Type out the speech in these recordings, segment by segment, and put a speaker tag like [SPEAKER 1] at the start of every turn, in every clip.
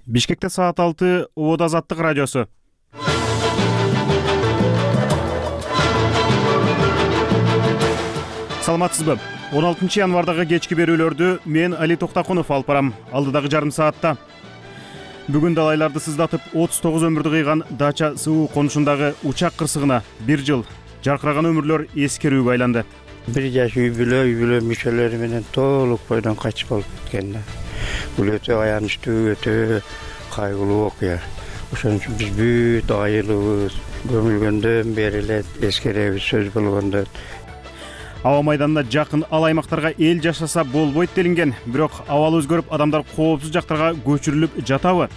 [SPEAKER 1] Бишкекте саат 6 Убада Азаттык радиосу. Саламатсызбы? 16 январдагы кечки берүүлөрдү мен Али Токтакунов алып барам. Алдыдагы жарым саатта бүгүн далайларды сыздатып 39 өмүрдү кыйган Дача СУ конушундагы учак кырсыгына 1 жыл жаркыраган өмүрлөр эскерүүгө айланды.
[SPEAKER 2] Бир жаш үй бүлө мүчөлөрү менен толук бойдон качып болуп кеткен. Бул өтө аянычтуу, өтө кайгылуу окуя. Ошон үчүн биз бүт айылыбыз көмүлгөндөн бери эле эскеребиз сөз болгондо.
[SPEAKER 1] Аба майданына жакын ал аймактарга эл жашаса болбойт делинген, бирок абал өзгөрүп, адамдар коопсуз жактарга көчүрүлүп жатабы?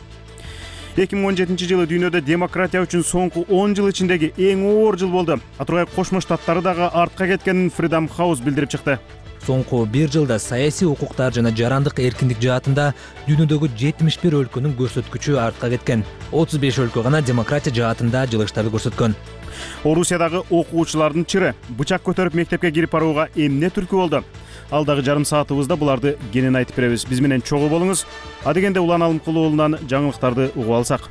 [SPEAKER 1] 2017 жылы дүйнөдө демократия үчүн соңку 10 жыл ичиндеги эң оор жыл болду. Атургай Кошмо Штаттары дагы артка кеткенин Freedom House билдирип чыкты.
[SPEAKER 3] Соңку 1 жылда саясий укуктар жана жарандык эркиндик жаатында дүйнөдөгү 71 өлкөнүн көрсөткүчү артка кеткен. 35 өлкө гана демократия жаатында жылыштарды көрсөткөн.
[SPEAKER 1] Орусиядагы окуучулардын чыры бычак көтөрүп мектепке кирип барууга эмне түрткү болду? Алдагы жарым саатыбызда буларды кенен айтып беребиз. Биз менен чогуу болуңуз. Адегенде Улан Алымкулуу уулунан жаңылыктарды угуп алсак.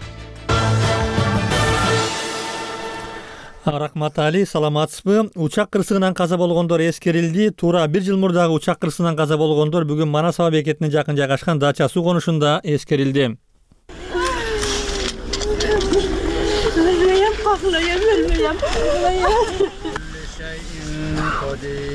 [SPEAKER 4] Рахмат Али, саламатсызбы? Учак кырсыгынан каза болгондор эскерилди. Туура 1 жыл мурдагы учак кырсыгынан каза болгондор бүгүн Манас аба бекетине жакын жайгашкан Дача суу конушунда эскерилди.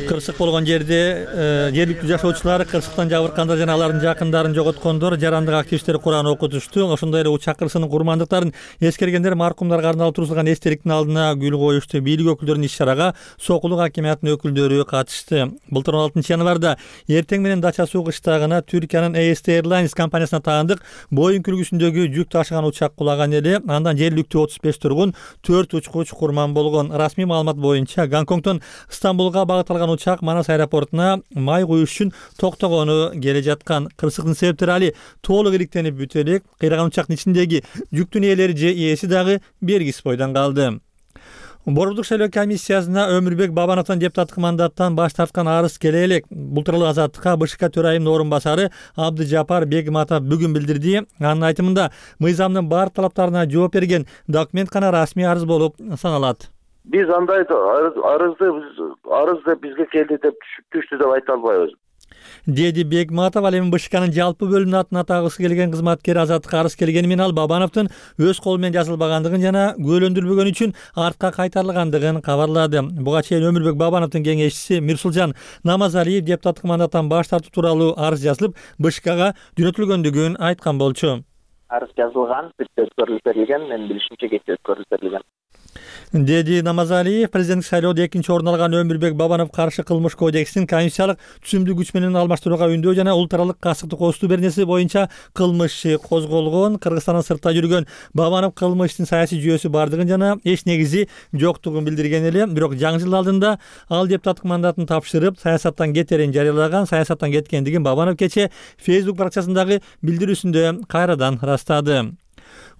[SPEAKER 4] Кырсык болгон жерде жергиликтүү жашоочулар кырсыктан жабыркандар жана алардын жакындарын жоготкондор жарандык активисттер Куран окутушту. Ошондой эле учак кырсыгынын курмандыктарын эскергендер маркумдарга арналып тургузулган эстеликтин алдына гүл коюшту. Бийлик өкүлдөрүнүн иш-чарага Сокулук акимиятынын өкүлдөрү катышты. Былтыр 16 январда эртең менен Дача суу кыштагына Түркиянын AST Airlines компаниясына таандык Боинг үлгүсүндөгү жүк ташыган учак кулаган эле. Андан жергиликтүү 35 тургун, 4 учкуч курман болгон. Расмий маалымат боюнча Гонконгдон Стамбулга багыт алган учак Манас аэропортуна май куюш үчүн токтогону келе жаткан. Кырсыктын себептери али толук иликтенип бүтө элек. Кыйраган учактын ичиндеги жүктүн ээлери же ээси дагы белгисиз бойдон калды. Борбордук шайлоо комиссиясына Өмүрбек Бабановдон депутаттык мандаттан баш тарткан арыз келе элек. Бул тууралуу Азаттыкка БШК төрайымынын орун басары Абдыжапар Бегматов бүгүн билдирди. Анын айтымында мыйзамдын баардык талаптарына жооп берген документ гана расмий арыз болуп саналат.
[SPEAKER 5] Биз андай арыз деп бизге келди деп түштү деп айта албайбыз,
[SPEAKER 4] деди Бегматов. Ал эми БШКнын жалпы бөлүмүнүн атын атагысы келген кызматкер Азаттыкка арыз келгени менен ал Бабановдун өз колу менен жазылбагандыгын жана күбөлөндүрүлбөгөнү үчүн артка кайтарылгандыгын кабарлады. Буга чейин Өмүрбек Бабановдун кеңешчиси Мирсулжан Намазалиев депутаттык мандаттан баш тартуу тууралуу арыз жазылып БШКга жөнөтүлгөндүгүн айткан болчу.
[SPEAKER 6] Арыз жазылган, өткөрүлүп берилген, менин билишимче кечээ өткөрүлүп берилген,
[SPEAKER 4] деди Намазалиев. Президенттик шайлоодо экинчи орун алган Өмүрбек Бабанов каршы кылмыш кодексин конституциялык түзүмдүү күч менен алмаштырууга үндөө жана улут аралык касыктык костуу беренеси боюнча кылмыш козголгон. Кыргызстандан сыртта жүргөн Бабанов кылмыштын саясий жүйөсү бардыгын жана эч негизи жоктугун билдирген эле. Бирок жаңы жыл алдында ал депутаттык мандатын тапшырып, саясаттан кетерин жарыялаган. Саясаттан кеткендигин Бабанов кечээ Facebook баракчасындагы билдирүүсүндө кайрадан растады.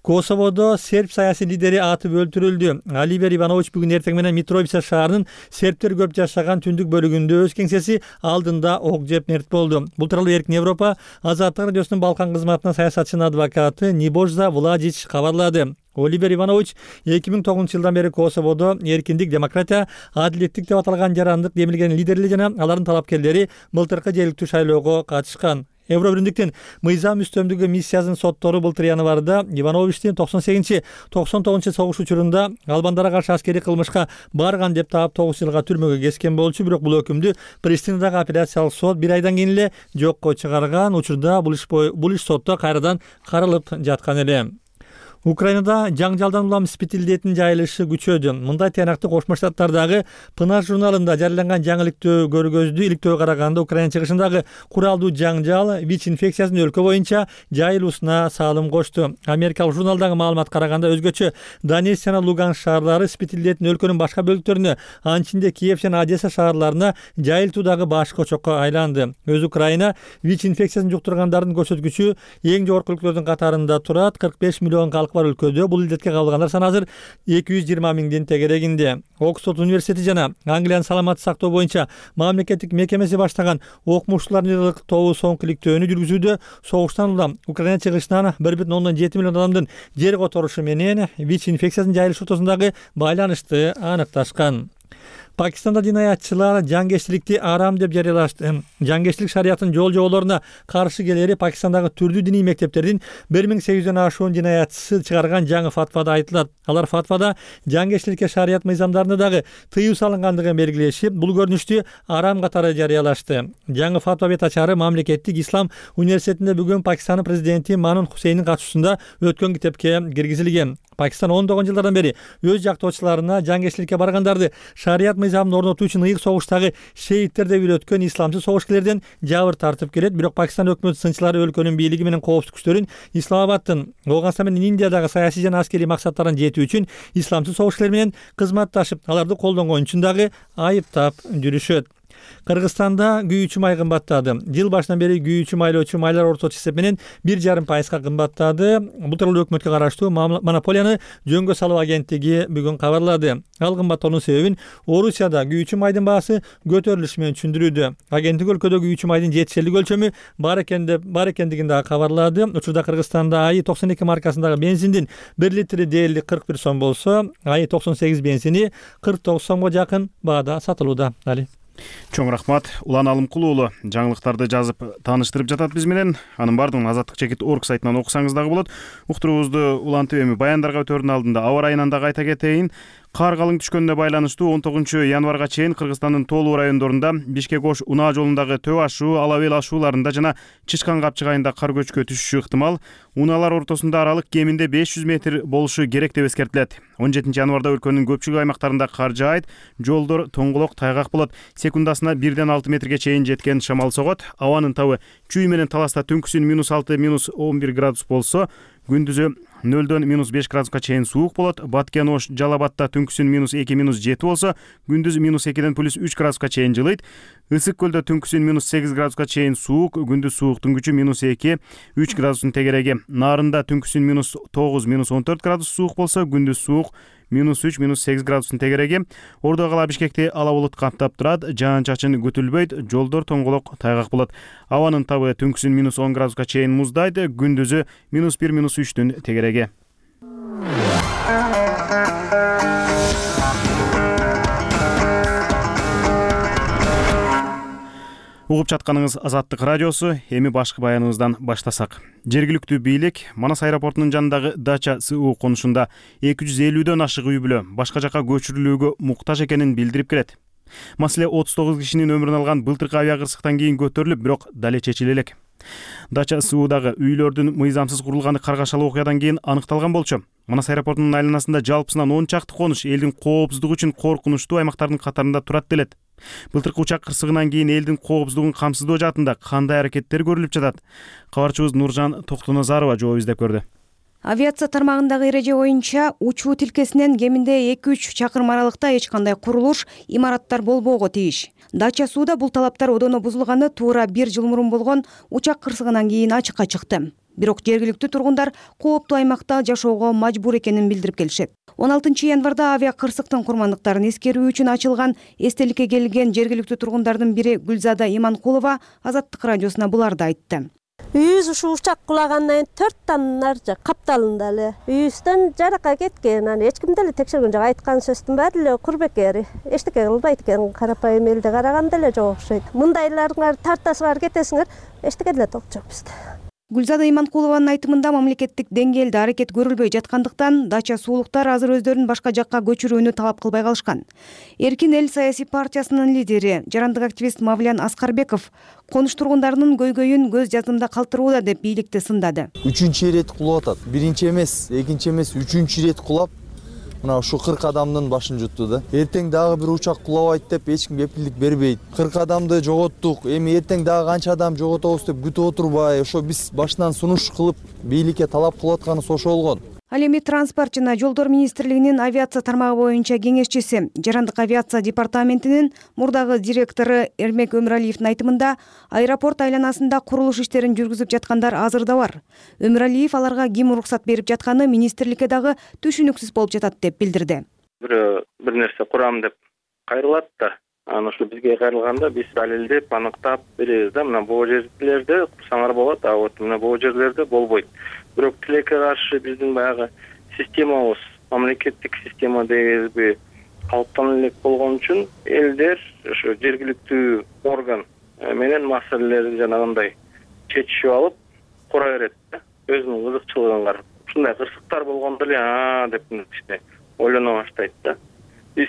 [SPEAKER 4] Косоводо серб саясий лидери атып өлтүрүлдү. Оливер Иванович бүгүн эртең менен Митровица шаарынын сербтер көп жашаган түндүк бөлүгүндө өз кеңсеси алдында ок жеп мерт болду. Бул тууралуу Эркин Европа Азаттык радиосунун Балкан кызматына саясатчынын адвокаты Нибожза Владич кабарлады. Оливер Иванович 2009 жылдан бери Косоводо эркиндик, демократия, адилеттик деп аталган жарандык демилген лидерлери жана алардын талапкерлери былтыркы жергиликтүү шайлоого катышкан. Евробиримдиктин мыйзам үстөмдүгү миссиясынын соттору былтыр январда Ивановичтин 98-99 согуш учурунда албандарга каршы аскерий кылмышка барган деп таап 9 жылга түрмөгө кескен болчу. Бирок бул өкүмдү Пристинадагы апелляциялык сот 1 айдан кийин эле жокко чыгарган. Учурда бул иш сотто кайрадан каралып жаткан эле. Украинада жаңжалдан улам спид илдетинин жайылышы күчөдү. Мындай тыянакты Кошмо Штаттардагы Пынар журналында жарыяланган жаңылыктуу көргөздү. Иликтөөгө караганда Украина чыгышындагы куралдуу жаңжал ВИЧ инфекциясынын өлкө боюнча жайылуусуна салым кошту. Америкалык журналдагы маалыматка караганда өзгөчө Донецк жана Луганск шаарлары спид илдетин өлкөнүн башка бөлүктөрүнө, анын ичинде Киев жана Одесса шаарларына жайылтуудагы баш көчөккө айланды. Өз Украина ВИЧ инфекциясын жуктургандардын көрсөткүчү эң жогорку өлкөлөрдүн катарында турат. 45 миллион артыкчылык бар өлкөдө бул илдетке кабылгандар саны азыр 220 миңдин тегерегинде. Оксфорд университети жана Англиянын саламаттык сактоо боюнча мамлекеттик мекемеси баштаган окумуштуулардын тобу соңку иликтөөнү жүргүзүүдө согуштан улам Украина чыгышынан 1,7 миллион адамдын жер которушу менен ВИЧ инфекциясынын жайылышы ортосундагы байланышты аныкташкан. Пакистанда динаятчылар жангечтиликти арам деп жарыялашты. Жангечтилик шариятынын жол жоболоруна каршы келери Пакистандагы түрдүү диний мектептердин 1800дөн ашуун динаятчысы чыгарган жаңы фатвада айтылат. Алар фатвада жангечтиликке шарият мыйзамдарында дагы тыюу салынгандыгын белгилешип, бул көрүнүштү арам катары жарыялашты. Жаңы фатва бет ачары мамлекеттик ислам университетинде бүгүн Пакистанын президенти Манун Хусейндин катышуусунда өткөн китепке киргизилген. Пакистан 19 жылдардан бери өз жактоочуларына жангечтиликке баргандарды шарият мыйзамын орнотуу үчүн ыйык согуштагы шеиттер деп үйрөткөн исламчы согушкерлерден жабыр тартып келет. Бирок Пакистан өкмөт сынчылары өлкөнүн бийлиги менен коопсуздук күчтөрүн Исламабадтын, Афганистан менен Индиядагы саясий жана аскерий максаттарын жетүү үчүн исламчы согушкерлер менен кызматташып, аларды колдонгон үчүн дагы айыптап жүрүшөт. Кыргызстанда күйүүчү май кымбаттады. Жыл башынан бери күйүүчү майлоочу майлар орточо эсеп менен 1,5% кымбаттады. Бул тууралуу өкмөткө караштуу монополияны жөнгө салуу агенттиги бүгүн кабарлады. Ал кымбаттоонун себебин Орусияда күйүүчү майдын баасы көтөрүлүшү менен түшүндүрүүдө. Агенттик өлкөдө күйүүчү майдын жетишерлик өлчөмү бар экендигин дагы кабарлады. Учурда Кыргызстанда АИ 92 маркасындагы бензиндин 1 литри дээрлик 41 сом болсо, АИ 98 бензини 49 сомго жакын баада сатылууда.
[SPEAKER 1] Чоң рахмат. Улан Алымкулуу уулу жаңылыктарды жазып тааныштырып жатат биз менен. Анын бардыгын azatlyk.org сайтынан окусаңыз дагы болот. Уктуруубузду улантып эми баяндарга өтөрдүн алдында аба ырайынан дагы айта кетейин. Кар калың түшкөнүнө байланыштуу 19 январга чейин Кыргызстандын тоолуу райондорунда Бишкек-Ош унаа жолундагы Төб ашуу, Алабел ашууларында жана Чычкан капчыгайында кар көчкү түшүшү ыктымал. Унаалар ортосунда аралык кеминде 500 метр болушу керек деп эскертилет. 17 январда өлкөнүн көпчүлүк аймактарында кар жаайт, жолдор тоңголок, тайгак болот. Секундасына 1-6 метрге чейин жеткен шамал согот. Абанын табы чүй менен таласта түнкүсүн -6, -11 градус болсо, күндүзү 0-дон -5 градуска чейин суук болот. Баткен, Ош, Жалабатта түнкүсүн -2, -7 болсо, күндүз -2ден +3 градуска чейин жылыйт. Ысык көлдө түнкүсүн -8 градуска чейин суук, күндүз сууктун күчү -2, -3 градустун тегереги. Нарында түнкүсүн -9, -14 градус суук болсо, күндүз суук -3, -8 градустун тегереги. Ордо кала Бишкекти ала булут каптап турат, жаан-чачын күтүлбөйт, жолдор тоңголок, тайгак болот. Абанын табы түнкүсүн -10 градуска чейин муздайт, күндүзү -1, -3 тегереги. Угуп жатканыңыз Азаттык радиосу. Эми башкы баяныбыздан баштасак. Жергиликтүү бийлик Манас аэропортунун жанындагы Дача СУ конушунда 250дөн ашык үй бүлө башка жака көчүрүлүүгө муктаж экенин билдирип келет. Маселе 39 кишинин өмүрүн алган былтыркы авиакырсыктан кийин көтөрүлүп, бирок дале чечиле элек. Дача СУдагы үйлөрдүн мыйзамсыз курулганы каргашалуу окуядан кийин аныкталган болчу. Манас аэропортунун айланасында жалпысынан 10 чакты конуш элдин коопсуздугу үчүн коркунучтуу аймактардын катарында турат делет. Былтыркы учак кырсыгынан кийин элдин коопсуздугун камсыздоо жаатында кандай аракеттер көрүлүп жатат? Кабарчыбыз Нуржан Токтоназарова жооп издеп көрдү.
[SPEAKER 7] Авиация тармагындагы эреже боюнча учуу тилкесинен кеминде 2-3 чакырым аралыкта эч кандай курулуш, имараттар болбоого тийиш. Дача СУда бул талаптар одоно бузулганы туура 1 жыл мурун болгон учак кырсыгынан кийин ачыкка чыкты. Бирок жергиликтүү тургундар кооптуу аймакта жашоого мажбур экенин билдирип келишет. 16 январда авиакырсыктын курмандыктарын эскерүү үчүн ачылган эстеликке келген жергиликтүү тургундардын бири Гүлзада Иманкулова Азаттык радиосуна буларды айтты.
[SPEAKER 8] Үйүбүз ушу учак кулагандан 4 танар капталында эле. Үйүбүздөн жаракка кеткен, аны эч ким деле текшерген жок. Айткан сөздүн баары эле курбекери. Эчтеке кылбайт экен, карапайым элде караганда эле жок окшойт. Мындайларыңар тартасыңар, кетесиңер, эчтеке деле ток жок бизде.
[SPEAKER 7] Гүлзада Иманкулованын айтымында мамлекеттик деңгээлде аракет көрүлбөй жаткандыктан Дача суулуктар азыр өздөрүн башка жакка көчүрүүнү талап кылбай калышкан. Эркин эл саясий партиясынын лидери, жарандык активист Мавлян Аскарбеков конуш тургундарынын көйгөйүн көз жаздымда калтырууда деп бийликти сындады.
[SPEAKER 9] 3-чү ирет кулап атат. Биринчи эмес, экинчи эмес, 3-чү ирет кулап мына ушу 40 адамдын башын жутту да. Эртең дагы бир учак кулабайт деп эч ким кепилдик бербейт. 40 адамды жоготтук. Эми эртең дагы канча адам жоготобуз деп күтүп отурбай, ошо биз башынан сунуш кылып бийликке талап кылып атканыбыз ошо болгон.
[SPEAKER 7] Ал эми транспорт жана жолдор министрлигинин авиация тармагы боюнча кеңешчиси, жарандык авиация департаментинин мурдагы директору Эрмек Өмүралиевдин айтымында, аэропорт айланасында курулуш иштерин жүргүзүп жаткандар азыр да бар. Өмүралиев аларга ким уруксат берип жатканы министрликке дагы түшүнүксүз болуп жатат деп билдирди.
[SPEAKER 10] Бир нерсе курам деп кайрылат да, анан ошо бизге кайрылганда биз далилдеп, аныктап беребиз да, мына бул жерлерде курсаңар болот, а вот мына бул жерлерде болбойт. Бирок тилекке каршы биздин баягы системабыз, мамлекеттик система дейбизби, калыптанып элек болгон үчүн элдер ошо жергиликтүү орган менен маселелерди жанагындай чечишип алып кура берет да, өзүнүн кызыкчылыгын карап. Ушундай кырсыктар болгондо эле деп кичине ойлоно баштайт да. Биз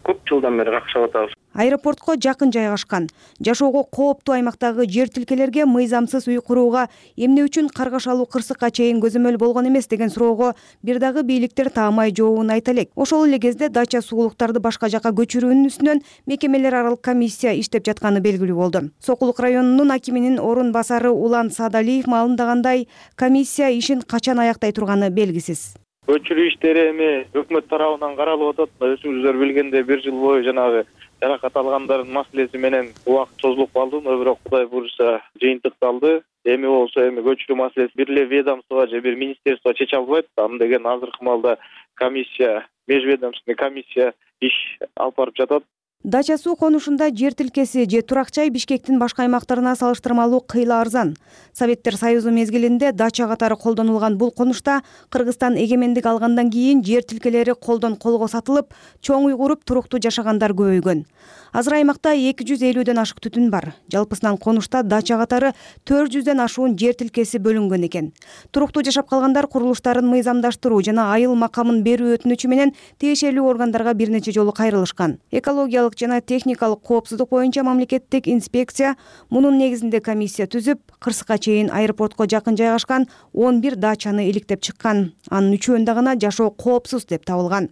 [SPEAKER 10] көп жылдан бери какшап атабыз.
[SPEAKER 7] Аэропортко жакын жайгашкан, жашоого кооптуу аймактагы жер тилкелерге мыйзамсыз үй курууга эмне үчүн каргашалуу кырсыкка чейин көзөмөл болгон эмес деген суроого бир дагы бийликтер таамай жообун айта элек. Ошол эле кезде дача суулуктарды башка жакка көчүрүүнүн үстүнөн мекемелер аралык комиссия иштеп жатканы белгилүү болду. Сокулук районунун акиминин орун басары Улан Саадалиев маалымдагандай, комиссия ишин качан аяктай турганы белгисиз.
[SPEAKER 11] Көчүрүү иштери эми өкмөт тарабынан каралып атат. Өзүңүздөр билгендей 1 жыл бою жанагы жаракат алгандардын маселеси менен убакыт созулуп калды, бирок Кудай буйруса жыйынтыкталды. Эми болсо көчүрүү маселеси бир эле ведомство же бир министерство чече албайт. Аны деген азыркы маалда комиссия, межведомственный комиссия иш алып барып жатат.
[SPEAKER 7] Дача суу конушунда жер тилкеси же турак жай Бишкектин башка аймактарына салыштырмалуу кыйла арзан. Советтер Союзу мезгилинде дача катары колдонулган бул конушта Кыргызстан эгемендик алгандан кийин жер тилкелери колдон колго сатылып, чоң үй куруп туруктуу жашагандар көбөйгөн. Азыр аймакта 250ден ашык түтүн бар. Жалпысынан конушта дача катары 400ден ашуун жер тилкеси бөлүнгөн экен. Туруктуу жашап калгандар курулуштарын мыйзамдаштыруу жана айыл макамын берүү өтүнүчү менен тиешелүү органдарга бир нече жолу кайрылышкан. Экологиялык жана техникалык коопсуздук боюнча мамлекеттик инспекция мунун негизинде комиссия түзүп, кырсыкка чейин аэропортко жакын жайгашкан 11 дачаны иликтеп чыккан. Анын 3-өндө гана жашоо коопсуз деп табылган.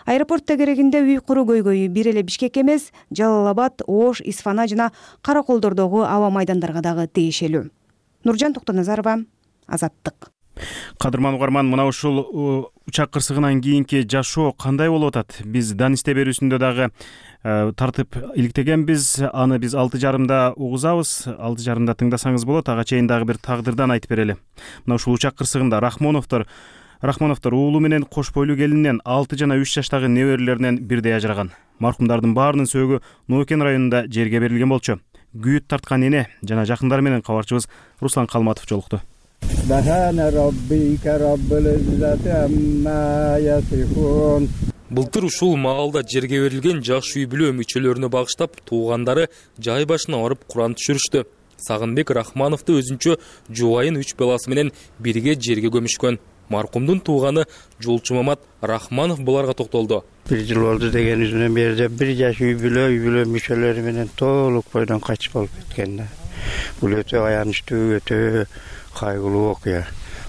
[SPEAKER 7] Аэропортто керегинде үй куруу көйгөйү бир эле Бишкек эмес, Жалал Абад, Ош, Исфана жана Караколдордогу аба майдандарга дагы тиешелүү. Нуржан Токтоназарова, Азаттык.
[SPEAKER 1] Кадырман угарман, мына ушул учак кырсыгынан кийинки жашоо кандай болуп атат? Биз дан исте берүүсүндө дагы тартып иликтегенбиз. Аны биз 6:30 угузабыз. 6:30 тыңдасаңыз болот. Ага чейин дагы бир тагдырдан айтып берели. Мына ушул учак кырсыгында Рахмоновдор уулу менен кош бойлуу келининен 6 жана 3 жаштагы неберелеринен бирдей ажыраган. Маркумдардын баарынын сөөгү Ноокен районунда жерге берилген болчу. Күйүт тарткан эне жана жакындары менен кабарчыбыз Руслан Калматов жолукту.
[SPEAKER 12] Былтыр ушул маалда жерге берилген жаш үй бүлө мүчөлөрүнө багыштап туугандары жай башына барып Куран түшүрүштү. Сагынбек Рахмановду өзүнчө жубайын 3 баласы менен бирге жерге көмүшкөн. Маркумдун тууганы Жолчу Мамат Рахманов буларга токтолду.
[SPEAKER 2] 1 жыл болду дегенибизден бери бир жаш үй бүлө мүчөлөрү менен толук бойдон качып болуп кеткен да. Бул өтө аянычтуу, өтө кайгылуу окуя.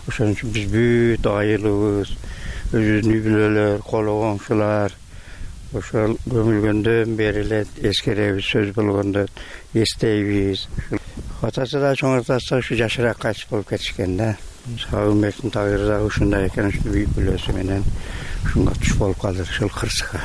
[SPEAKER 2] Ошон үчүн биз бүт айылыбыз, өзүбүздүн үй бүлөлөр, коло коңшулар ошол көмүлгөндөн бери эле эскеребиз, сөз болгондо эстейбиз. Атасы да чоң атасы ушу жашыраак качып болуп кетишкен да. Сагынбектин тагыры да ушундай экен, ушул үй бүлөсү менен ушунга туш болуп калды ушул кырсыкка.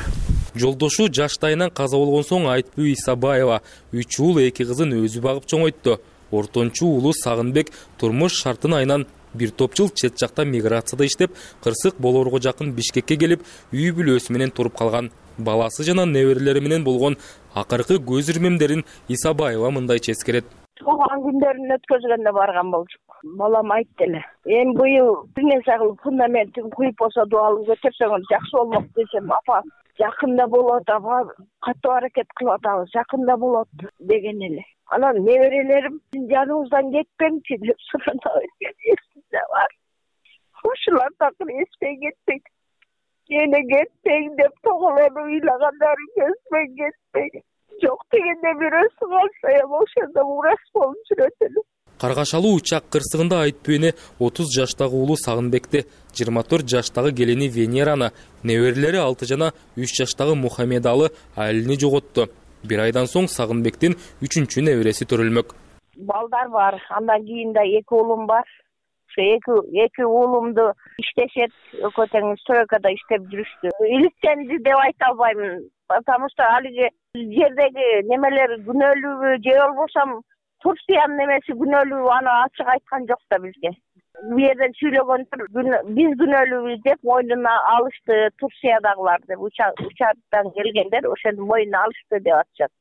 [SPEAKER 12] Жолдошу жаштайынан каза болгон соң Айтбүй Исабаева 3 уул 2 кызын өзү багып чоңойтtu. Ортончу уулу Сагынбек турмуш шартын айынан бир топ жыл чет жакта миграцияда иштеп, кырсык болоорго жакын Бишкекке келип, үй бүлөсү менен туруп калган. Баласы жана неберелери менен болгон акыркы көз ирмемдерин Исабаева мындайча эскерет.
[SPEAKER 13] Туган күндөрүн өткөзгөндө барган болчук. Балам айтты эле. Эми быйыл бир нерсе кылып фундаментин куюп болсо дуалып көтөрсөң жакшы болмок десем, апа жакында болот, апа катуу аракет кылып атабыз, жакында болот деген эле. Анан неберелерим жаныбыздан кетпеңчи деп сурап эсимде бар. Ушулар такыр эстен кетпейт. Эне кетпең деп тоголону ыйлагандары көзбөн кетпейт. Жок дегенде бирөөсү калса эми ошондо урас болуп жүрөт эле.
[SPEAKER 12] Каргашалуу учак кырсыгында Айтбүйнү 30 жаштагы уулу Сагынбекти, 24 жаштагы келини Венераны, неберелери 6 жана 3 жаштагы Мухаммедалы Алини жоготту. Бир айдан соң Сагынбектин 3-небереси төрөлмөк.
[SPEAKER 13] Балдар бар, андан кийин да 2 уулум бар. Ушу эки уулумду иштешет, экөө тең стройкада иштеп жүрүштү. Иликтенди деп айта албайм, потому что алиги жердеги немелер күнөөлүүбү же болбосо Турциянын немеси күнөөлүү, аны ачык айткан жок да бизге. Бу жерден сүйлөгөндөр биз күнөөлүүбүз деп мойнуна алышты Турциядагылар деп, учактан келгендер ошону мойнуна алышты деп атышат.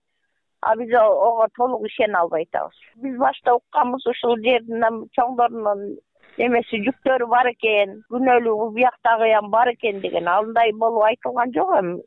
[SPEAKER 13] А биз ого толук ишене албай атабыз. Биз башта укканбыз ушул жердин чоңдорунун немеси жүктөрү бар экен, күнөөлүү бияктагы бар экен деген. Андай болуп айтылган жок эми.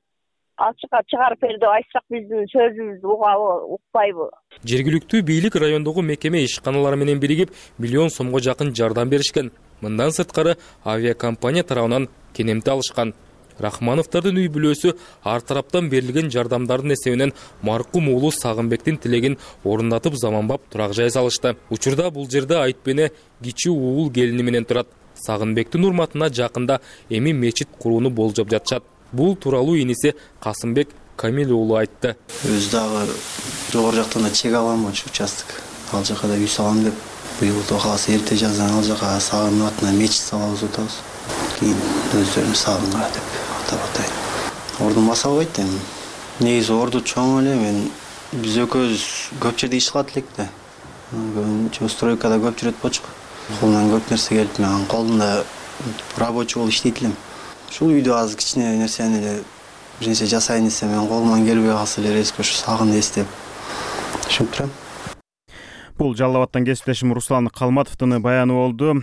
[SPEAKER 13] Ачыкка чыгарып бер деп айтсак биздин сөзүбүздү угабы, укпайбы?
[SPEAKER 12] Жергиликтүү бийлик райондогу мекеме ишканалары менен биригип миллион сомго жакын жардам беришкен. Мындан сырткары авиакомпания тарабынан кенемти алышкан. Рахмановдордун үй бүлөсү ар тараптан берилген жардамдардын эсебинен маркум уулу Сагынбектин тилегин орундатып заманбап турак жай салышты. Учурда бул жерде Айтпене кичи уул келини менен турат. Сагынбектин урматына жакында эми мечит курууну болжоп жатышат. Бул тууралуу иниси Касымбек Камил уулу айтты.
[SPEAKER 14] Өз дагы жогору жактан да чек алам ошо участок. Ал жака да үй салам деп, быйыл Кудай кааласа эрте жаздан ал жака Сагындын атына мечит салабыз деп атабыз. Кийин өздөрүнүн сагынга деп атап атайын. Ордун баса албайт эми. Негизи орду чоң эле, мен биз экөөбүз көп жерде иш кылат элек да. Көбүнчө стройкада көп жүрөт болчук. Колунан көп нерсе келип, мен колунда рабочий болуп иштейт элем. Ушул үйдө азыр кичине нерсени эле бир нерсе жасайын десем, мен колуман келбей калса эле резко ушу Сагынды эстеп ушинтип турам.
[SPEAKER 1] Бул Жалал Абадтан кесиптешим Руслан Калматовдун баяны болду.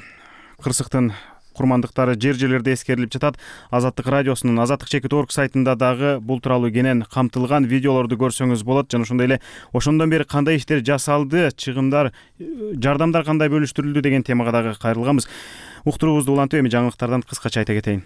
[SPEAKER 1] Кырсыктын курмандыктары жер-жерлерде эскерилип жатат. Азаттык радиосунун azattik.org сайтында дагы бул тууралуу кенен камтылган видеолорду көрсөңүз болот. Жана ошондой эле ошондон бери кандай иштер жасалды, чыгымдар, жардамдар кандай бөлүштүрүлдү деген темага дагы кайрылганбыз. Уктуруубузду улантып эми жаңылыктардан кыскача айта кетейин.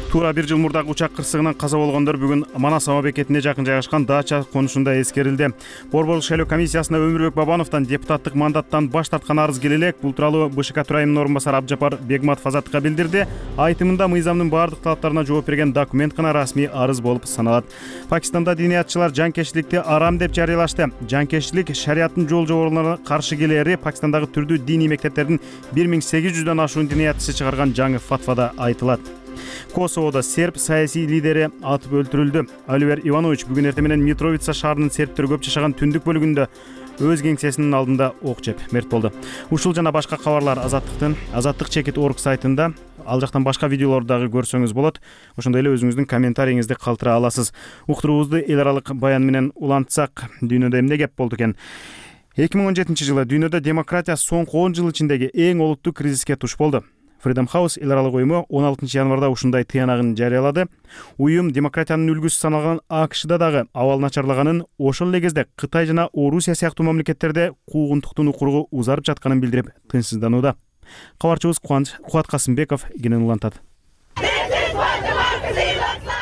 [SPEAKER 1] Туура 1 жыл мурдагы учак кырсыгынан каза болгондор бүгүн Манас аба бекетине жакын жайгашкан дача конушунда эскерилди. Борборлук шайлоо комиссиясына Өмүрбек Бабановдон депутаттык мандаттан баш тарткан арыз келе элек. Бул тууралуу БШК төрайымынын орун басары Абджапар Бегматов Азаттыкка билдирди. Айтымында мыйзамдын бардык талаптарына жооп берген документ гана расмий арыз болуп саналат. Пакистанда диниятчылар жанкечтиликти арам деп жарыялашты. Жанкечтилик шариаттын жол жоболоруна каршы келери Пакистандагы түрдүү диний мектептердин 1800дөн ашуун диниятчысы чыгарган жаңы фатвада айтылат. Косоводо серб саясий лидери атып өлтүрүлдү. Оливер Иванович бүгүн эртең менен Митровица шаарынын сербтер көп жашаган түндүк бөлүгүндө өз кеңсесинин алдында ок жеп мерт болду. Ушул жана башка кабарлар azattik.org сайтында, ал жактан башка видеолорду дагы көрсөңүз болот. Ошондой эле өзүңүздүн комментарийиңизди калтыра аласыз. Уктуруубузду эл аралык баян менен улантсак, дүйнөдө эмне кеп болду экен? 2017-жылы дүйнөдө демократия соңку 10 жыл ичиндеги эң олуттуу кризиске туш болду. Freedom House эл аралык уюму 16 январда ушундай тыянагын жарыялады. Уюм демократиянын үлгүсү саналган АКШда дагы абал начарлаганын, ошол эле кезде Кытай жана Орусия сыяктуу мамлекеттерде куугунтуктун укуругу узарып жатканын билдирип, тынчсызданууда. Кабарчыбыз Кубат Касымбеков кенен улантат.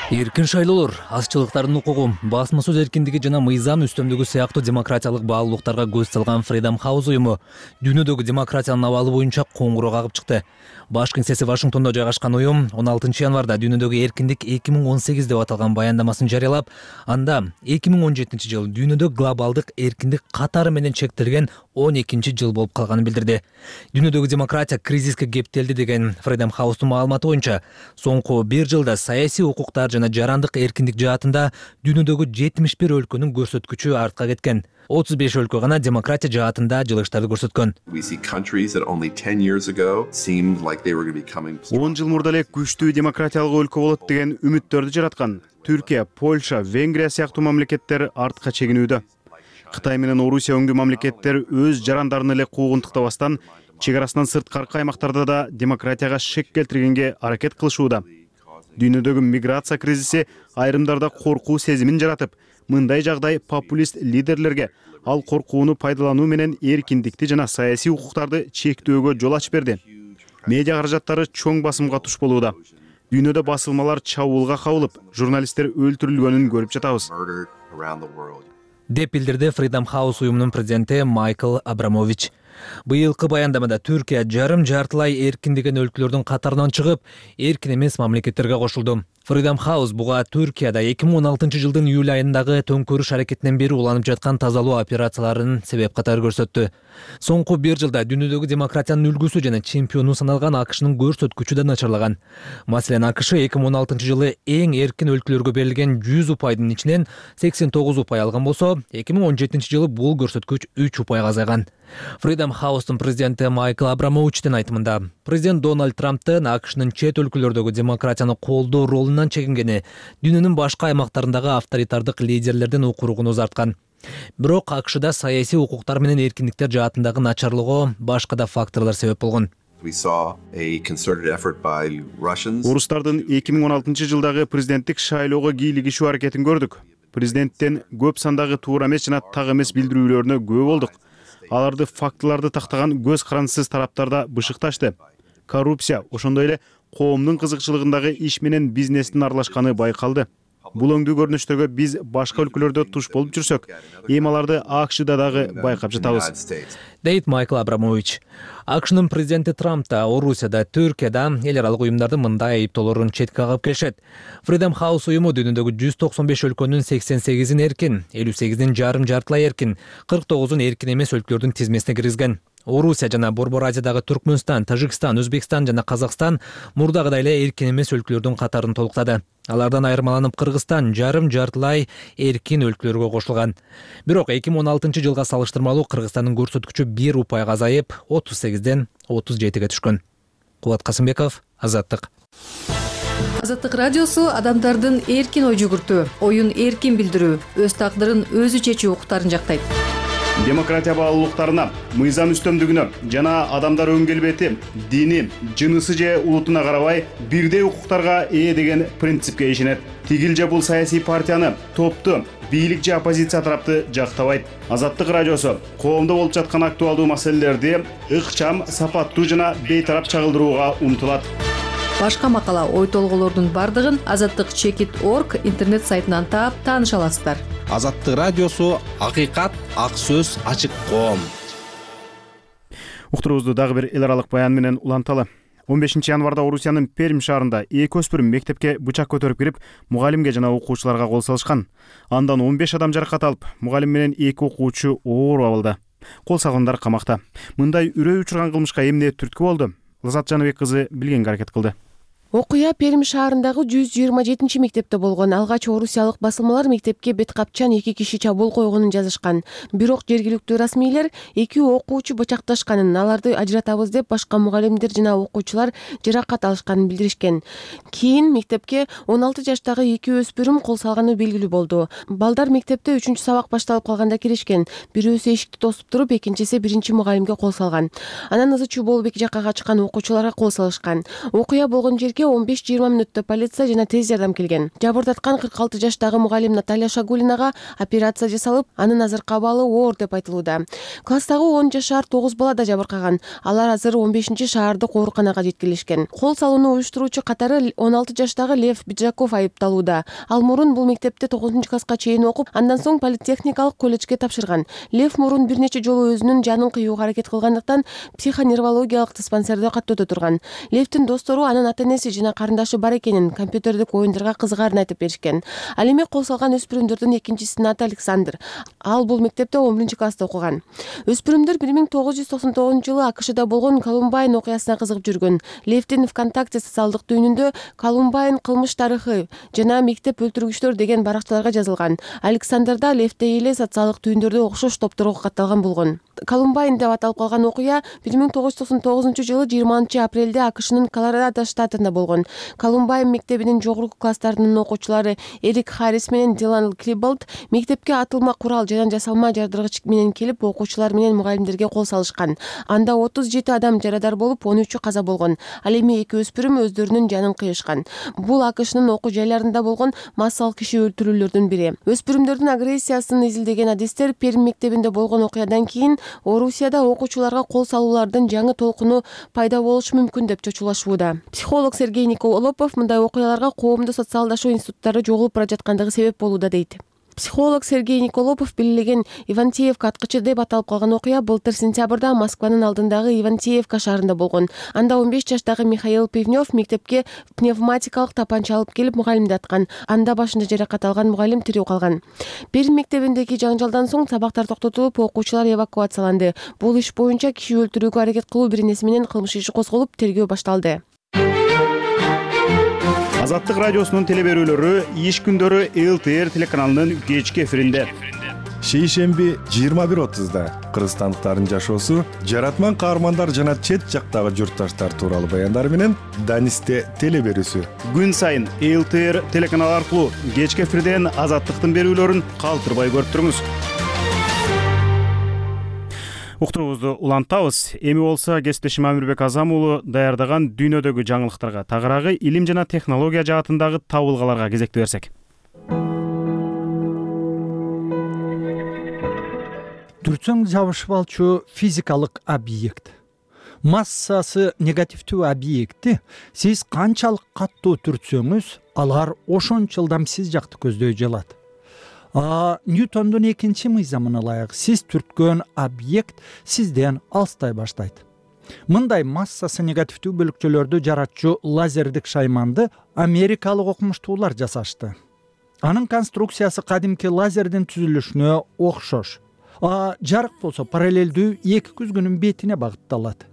[SPEAKER 3] Эркин шайлоолор, азчылыктардын укугу, басма сөз эркиндиги жана мыйзам үстөмдүгү сыяктуу демократиялык баалуулуктарга көз салган Freedom House уюму дүйнөдөгү демократиянын абалы боюнча коңгуроо кагып чыкты. Баш кеңсеси Вашингтондо жайгашкан уюм 16 январда дүйнөдөгү эркиндик 2018 деп аталган баяндамасын жарыялап, анда 2017 жыл дүйнөдө глобалдык эркиндик катары менен чектелген 12 жыл болуп калганын билдирди. Дүйнөдөгү демократия кризиске кептелди деген Freedom House'тун маалыматы боюнча, соңку 1 жылда саясий укуктар жана жарандык эркиндик жаатында дүйнөдөгү 71 өлкөнүн көрсөткүчү артка кеткен. 35 өлкө гана демократия жаатында жылыштарды көрсөткөн.
[SPEAKER 1] 10 жыл мурда эле күчтүү демократиялык өлкө болот деген үмүттөрдү жараткан Түркия, Польша, Венгрия сыяктуу мамлекеттер артка чегинүүдө. Кытай менен Орусия өңдүү мамлекеттер өз жарандарын эле куугунтуктабастан чек арасынан сырткаркы аймактарда да демократияга шек келтиргенге аракет кылышууда. Дүйнөдөгү миграция кризиси айрымдарда коркуу сезимин жаратып, мындай жагдай популист лидерлерге ал коркууну пайдалануу менен эркиндикти жана саясий укуктарды чектөөгө жол ачып берди. Медиа каражаттары чоң басымга туш болууда. Дүйнөдө басылмалар чабуулга кабылып, журналисттер өлтүрүлгөнүн көрүп жатабыз.
[SPEAKER 3] Деп билдирди Freedom House уюмунун президенти Майкл Абрамович. Быйылкы баяндамада Түркия жарым жартылай эркиндеген өлкөлөрдүн катарынан чыгып, эркин эмес мамлекеттерге кошулду. Freedom House буга Түркияда 2016 жылдын июль айындагы төңкөрүш аракетинен бери уланып жаткан тазалоо операцияларын себеп катары көрсөттү. Соңку 1 жылда дүйнөдөгү демократиянын үлгүсү жана чемпиону саналган АКШнын көрсөткүчү да начарлаган. Маселен, АКШ 2016 жылы эң эркин өлкөлөргө берилген 100 упайдын ичинен 89 упай алган болсо, 2017 жылы бул көрсөткүч 3 упайга азайган. Freedom House'тун президенти Майкл Абрамовичтин айтымында, президент Дональд Трамптын АКШнын чет өлкөлөрдөгү демократияны колдоо ролунан чегингени дүйнөнүн башка аймактарындагы авторитардык лидерлердин укуругун узарткан. Бирок АКШда саясий укуктар менен эркиндиктер жаатындагы начарлыгы башка да факторлор себеп болгон.
[SPEAKER 1] Орустардын 2016 жылдагы президенттик шайлоого кийлигишүү аракетин көрдүк. Президенттен көп сандагы туура эмес жана так эмес билдирүүлөрүнө күбө болдук. Аларды фактыларды тактаган көз карансыз тараптарда бышыкташты. Коррупция, ошондой эле коомдун кызыкчылыгындагы иш менен бизнестин аралашканы байкалды. Бул өңдүү көрүнүштөргө биз башка өлкөлөрдө туш болуп жүрсөк, эми аларды АКШда дагы байкап жатабыз.
[SPEAKER 3] Дейт Майкл Абрамович. АКШнын президенти Трамп да Орусияда, Түркияда эл аралык уюмдардын мындай айыптоолорун четке кагып келишет. Freedom House уюму дүйнөдөгү 195 өлкөнүн 88-ин эркин, 58-ин жартылай эркин, 49-ун эркин эмес өлкөлөрдүн тизмесине киргизген. Орусия жана Борбор Азиядагы Түркмөнстан, Тажикстан, Өзбекстан жана Казакстан мурдагыдай эле эркин эмес өлкөлөрдүн катарын толуктады. Алардан айырмаланып Кыргызстан жартылай эркин өлкөлөргө кошулган. Бирок 2016 жылга салыштырмалуу Кыргызстандын көрсөткүчү 1 упайга азайып, 38ден 37ге түшкөн. Кубат Касымбеков, Азаттык.
[SPEAKER 15] Азаттык радиосу адамдардын эркин ой жүгүртүү, оюн эркин билдирүү, өз тагдырын өзү чечүү укуктарын жактайт.
[SPEAKER 1] Демократия баалуулуктарына, мыйзам үстөмдүгүнө жана адамдар өң келбети, дини, жынысы же улутуна карабай бирдей укуктарга ээ деген принципке ишенет. Тигил же бул саясий партияны, топту, бийлик же оппозиция тарапты жактабайт. Азаттык радиосу коомдо болуп жаткан актуалдуу маселелерди ыкчам, сапаттуу жана бейтарап чагылдырууга умтулат.
[SPEAKER 15] Башка макала, ой толголордун бардыгын azattik.org интернет сайтынан таап тааныша аласыздар.
[SPEAKER 16] Азаттык радиосу акыйкат, ак сөз, ачык коом.
[SPEAKER 1] Уктуруубузду дагы бир эл аралык баян менен уланталы. 15 январда Орусиянын Пермь шаарында 2 өспүрүм мектепке бычак көтөрүп кирип, мугалимге жана окуучуларга кол салышкан. Андан 15 адам жаракат алып, мугалим менен 2 окуучу оор абалда. Кол салгандар камакта. Мындай үрөй учурган кылмышка эмне түрткү болду? Лазат Жаныбек кызы билгенге аракет кылды.
[SPEAKER 17] Окуя Пермь шаарындагы 127 мектепте болгон. Алгач орусиялык басылмалар мектепке бет капчан 2 киши чабуул койгонун жазышкан. Бирок жергиликтүү расмийлер 2 окуучу бычакташканын, аларды ажыратабыз деп башка мугалимдер жана окуучулар жаракат алышканын билдиришкен. Кийин мектепке 16 жаштагы 2 өспүрүм кол салганы белгилүү болду. Балдар мектепте 3-чү сабак башталып калганда киришкен. Бирөөсү эшикти тосуп туруп, экинчиси биринчи мугалимге кол салган. Анан ызы-чуу болуп эки жакка качкан окуучуларга кол салышкан. Окуя болгон жерге 15-20 мүнөттө полиция жана тез жардам келген. Жабырдаткан 46 жаштагы мугалим Наталья Шагулинага операция жасалып, анын азыркы абалы оор деп айтылууда. Класстагы 10 жашар 9 бала да жабыркаган. Алар азыр 15-чи шаардык ооруканага жеткирилишкен. Кол салууну уюштуруучу катары 16 жаштагы Лев Биджаков айыпталууда. Ал мурун бул мектепте 9-класска чейин окуп, андан соң политехникалык колледжге тапшырган. Лев мурун бир нече жолу өзүнүн жанын кыюуга аракет кылгандыктан психоневрологиялык диспансерде каттоодо турган. Левтин достору анын ата-энеси жана карындашы бар экенин, компьютердик оюндарга кызыгарын айтып беришкен. Ал эми кол салган өспүрүмдөрдүн экинчисинин аты Александр. Ал бул мектепте 11-класста окуган. Өспүрүмдөр 1999 жылы АКШда болгон Колумбайн окуясына кызыгып жүргөн. Левтин ВКонтакте социалдык түйүнүндө Колумбайн кылмыш тарыхы жана мектеп өлтүргүчтөр деген баракчаларга жазылган. Александр да Левтей эле социалдык түйүндөрдө окшош топторго катталган болгон. Колумбайн деп аталып калган окуя 1999 жылы 20 апрелде АКШнын Колорадо штатында болгон. Колумбайн мектебинин жогорку класстарынын окуучулары Эрик Харрис менен Дилан Клиболд мектепке атылма курал жана жасалма жардыргыч менен келип, окуучулар менен мугалимдерге кол салышкан. Анда 37 адам жарадар болуп, 13-ü каза болгон. Ал эми 2 өспүрүм өздөрүнүн жанын кыйышкан. Бул АКШнын окуу жайларында болгон массалык киши өлтүрүүлөрдүн бири. Өспүрүмдөрдүн агрессиясын изилдеген адистер Пермь мектебинде болгон окуядан кийин Орусияда окуучуларга кол салуулардын жаңы толкуну пайда болушу мүмкүн деп чочулашууда. Психолог Сергей Николопов мындай окуяларга коомдо социалдашуу институттары жоголуп бара жаткандыгы себеп болууда дейт. Психолог Сергей Николопов белгилеген Ивантеевка аткычы деп аталып калган окуя былтыр сентябрда Москванын алдындагы Ивантеевка шаарында болгон. Анда 15 жаштагы Михаил Пивнев мектепке пневматикалык тапанча алып келип мугалимди аткан. Анда башында жаракат алган мугалим тирүү калган. Пермь мектебиндеги жаңжалдан соң сабактар токтотулуп, окуучулар эвакуацияланды. Бул иш боюнча киши өлтүрүүгө аракет кылуу бирнеси менен кылмыш иши козголуп, тергөө башталды.
[SPEAKER 1] Азаттык радиосунун телеберүүлөрү иш күндөрү ЛТР телеканалынын кечки эфиринде.
[SPEAKER 18] Шейшемби 21:30-да кыргызстандыктардын жашоосу, жаратман каармандар жана чет жактагы журтташтар тууралуу баяндар менен Данисте телеберүүсү.
[SPEAKER 1] Күн сайын ЛТР телеканалы аркылуу кечки эфирден азаттыктын берүүлөрүн калтырбай көрүп туруңуз. Уктуруубузду улантабыз. Эми болсо кесиптешим Амирбек Азам уулу даярдаган дүйнөдөгү жаңылыктарга, тагыраагы илим жана технология жаатындагы табылгаларга кезекти берсек.
[SPEAKER 19] Түртсөң жабышып алчу физикалык объект. Массасы негативдүү объекти сиз канчалык каттуу түртсөңүз, алар ошончо ылдам сиз жакты көздөй жалат. Ньютондун экинчи мыйзамына ылайык сиз түрткөн объект сизден алыстай баштайт. Мындай массасы негативдүү бөлүкчөлөрдү жаратчу лазердик шайманды америкалык окумуштуулар жасашты. Анын конструкциясы кадимки лазердин түзүлүшүнө окшош. Жарык болсо параллелдүү эки күзгүнүн бетине багытталат.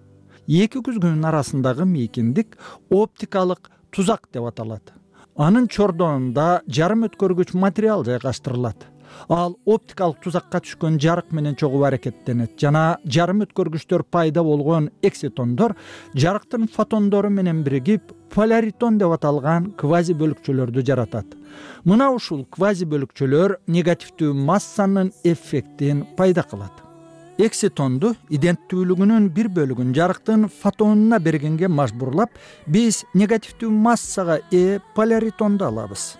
[SPEAKER 19] Эки күзгүнүн арасындагы мейкиндик оптикалык тузак деп аталат. Анын чордонунда жарым өткөргүч материал жайгаштырылат. Ал оптикалык тузакка түшкөн жарык менен чогуу аракеттенет жана жарым өткөргүчтөр пайда болгон экситондор жарыктын фотондору менен биригип поляритон деп аталган квази бөлүкчөлөрдү жаратат. Мына ушул квази бөлүкчөлөр негативдүү массанын эффектин пайда кылат. Экситонду иденттүүлүгүнүн бир бөлүгүн жарыктын фотонуна бергенге мажбурлап, биз негативдүү массага поляритонду алабыз.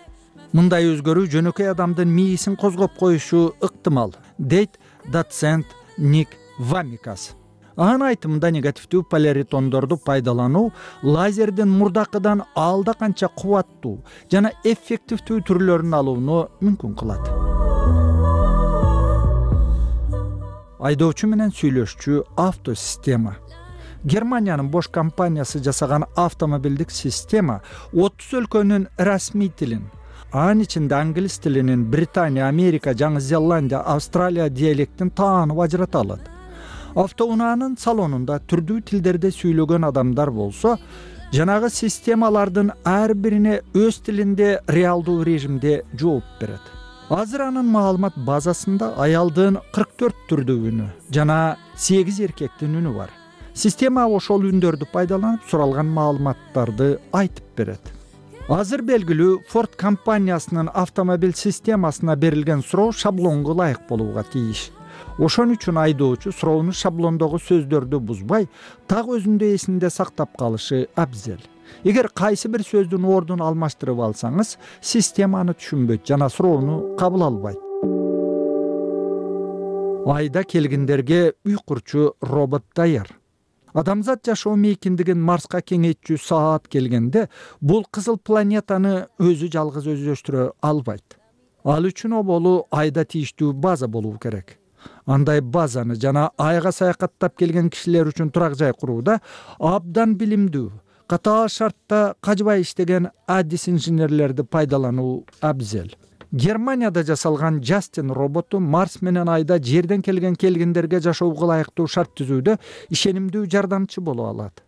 [SPEAKER 19] Мындай өзгөрүү жөнөкөй адамдын мээсин козгоп коюшу ыктымал, дейт доцент Ник Вамикас. Анын айтымында негативдүү поляритондорду пайдалануу лазердин мурдакыдан алда канча кубаттуу жана эффективдүү түрлөрүн алууну мүмкүн кылат. Айдоочу менен сүйлөшчү автосистема. Германиянын Bosch компаниясы жасаган автомобилдик система 30 өлкөнүн расмий тилин, анын ичинде англис тилинин Британия, Америка, Жаңы Зеландия, Австралия диалектин таанып ажырата алат. Автоунаанын салонунда түрдүү тилдерде сүйлөгөн адамдар болсо, жанагы системалардын ар бирине өз тилинде реалдуу режимде жооп берет. Азыр анын маалымат базасында аялдын 44 түрдүү үнү жана 8 эркектин үнү бар. Система ошол үндөрдү пайдаланып суралган маалыматтарды айтып берет. Азыр белгилүү Ford компаниясынын автомобиль системасына берилген суроо шаблонго ылайык болууга тийиш. Ошон үчүн айдоочу суроону шаблондогу сөздөрдү бузбай, так өзүндө эсинде сактап калышы абзел. Эгер кайсы бир сөздүн ордун алмаштырып алсаңыз, системаны түшүнбөйт жана суроону кабыл албайт. Айда келгендерге үй курчу робот даяр. Адамзат жашоо мейкиндигин Марска кеңейтчү саат келгенде, бул кызыл планетаны өзү жалгыз өздөштүрө албайт. Ал үчүн оболу айда тийиштүү база болуу керек. Андай базаны жана айга саякаттап келген кишилер үчүн турак жай курууда абдан билимдүү, катаал шартта кажбай иштеген адис инженерлерди пайдалануу абзел. Германияда жасалган Justin роботу Марс менен айда жерден келгендерге жашоого ылайыктуу шарт түзүүдө ишенимдүү жардамчы боло алат.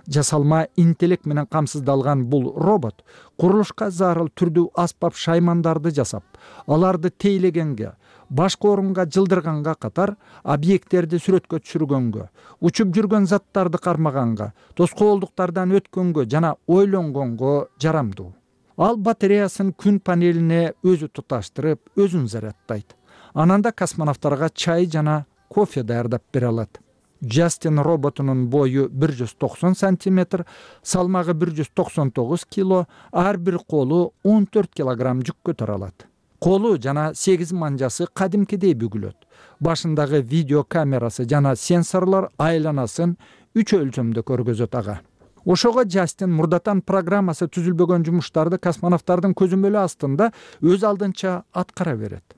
[SPEAKER 19] Жасалма интеллект менен камсыздалган бул робот курулушка зарыл түрдүү аспап шаймандарды жасап, аларды тейлегенге, башка орунга жылдырганга катар объекттерди сүрөткө түшүргөнгө, учуп жүргөн заттарды кармаганга, тоскоолдуктардан өткөнгө жана ойлонгонго жарамдуу. Ал батареясын күн панелине өзү туташтырып, өзүн зарядтайт. Анан да космонавттарга чай жана кофе даярдап бере алат. Justin роботунун бою 190 сантиметр, салмагы 199 кило, ар бир колу 14 килограмм жүк көтөрө алат. Колу жана 8 манжасы кадимкидей бүгүлөт. Башындагы видео камерасы жана сенсорлор айланасын 3 өлчөмдө көргөзөт ага. Ошого Justin мурдатан программасы түзүлбөгөн жумуштарды космонавттардын көзөмөлү астында өз алдынча аткара берет.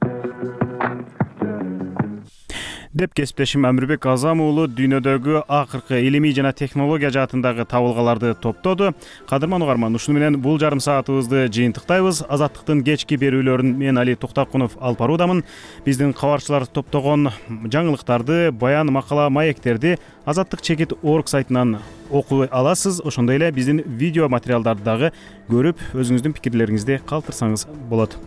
[SPEAKER 1] деп кесиптешим Амирбек Азам уулу дүйнөдөгү акыркы илимий жана технология жаатындагы табылгаларды топтоду. Кадырман угарман, ушуну менен бул жарым саатыбызды жыйынтыктайбыз. Азаттыктын кечки берүүлөрүн мен Али Токтакунов алып баруудамын. Биздин кабарчылар топтогон жаңылыктарды, баян, макала, маектерди azattik.org сайтынан окуй аласыз. Ошондой эле биздин видео материалдарды дагы көрүп, өзүңүздүн пикирлериңизди калтырсаңыз болот.